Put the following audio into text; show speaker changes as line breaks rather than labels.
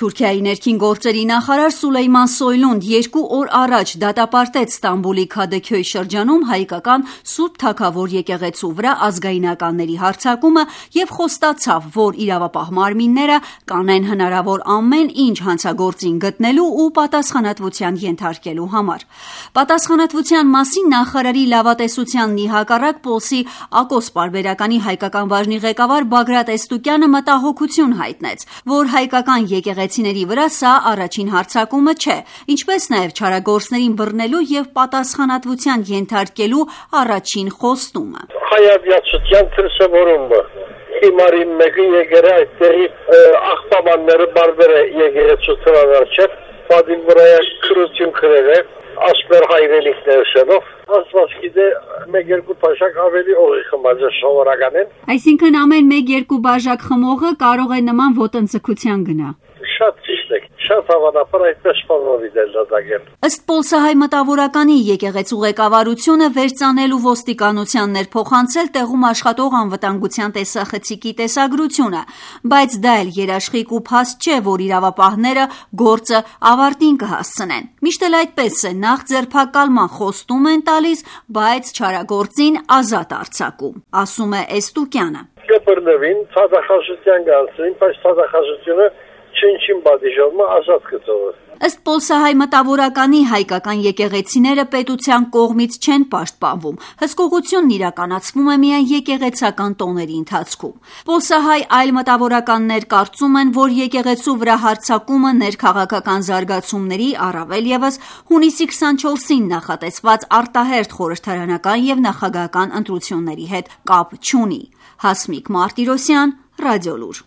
Թուրքիայի ներքին գործերի նախարար Սուլեյման Սոյլուն 2 օր առաջ դատապարտեց Ստամբուլի Քադեքյոյ շրջանում հայկական Սուրբ Թագավոր եկեղեցու վրա ազգայնականների հարձակումը և խոստացավ, որ իրավապահ մարմինները կանեն հնարավոր ամեն ինչ հանցագործին գտնելու ու պատասխանատվության ենթարկելու համար։ Պատասխանատվության մասին նախարարի լավատեսությանն ի հակառակ Պոլսի Ակոս պարբերականի հայկական բաժնի ղեկավար Բագրատ Էստուկյանը մտահոգություն հայտնեց, որ հայկական եկեղեցիների վրա սա առաջին հարձակումը չէ, ինչպես նաև չարագործներին բռնելու և պատասխանատվության ենթարկելու առաջին խոստումը։
Հայավյացության դրսևորումը հիմարի մեկը եկել է այդտեղի աղբամանները բարբերը եկեղեցու թվավարչև պատին վրա քրություն քրել է ասպեր հայրենիքները շենով ասված գիտե 1-2 բաժակ ավելի օղի խմած է սովորականին։
Այսինքն ամեն 1-2 բաժակ խմողը կարող է նման ոտնձգության գնա։
Շատ ճիշտ է, շատ հավանաբար այդպես սպանովի դելդագել։
Ըստ Պոլսահայ մտավորականի եկեղեցու ղեկավարությունը վերծանել ու ոստիկանության ներփոխանցել տեղում աշխատող անվտանգության տեսախցիկի տեսագրությունը, բայց դա էլ երաշխիք ու փաստ չէ, որ իրավապահները գործը ավարտին կհասցնեն։ Միշտ էլ այդպես է, նախ ձերբակալման խոստում են տալիս, բայց չարագործին ազատ արձակում, ասում է Էստուկյանը։
Կբռնվին, ցածախազության կանցին, բայց ցածախազությունը չնչին բադիժովը ազատ կծովը։
Ըստ Պոլսահայ մտավորականի հայկական եկեղեցիները պետության կողմից չեն պաշտպանվում, հսկողությունն իրականացվում է միայն եկեղեցական տոների ընթացքում։ Պոլսահայ այլ մտավորականներ կարծում են, որ եկեղեցու վրա հարձակումը ներքաղաքական զարգացումների, առավել ևս հունիսի 24-ին նախատեսված արտահերթ խորհրդարանական և նախագահական ընտրությունների հետ կապ չունի։ Հասմիկ Մարտիրոսյան, Ռադիոլուր։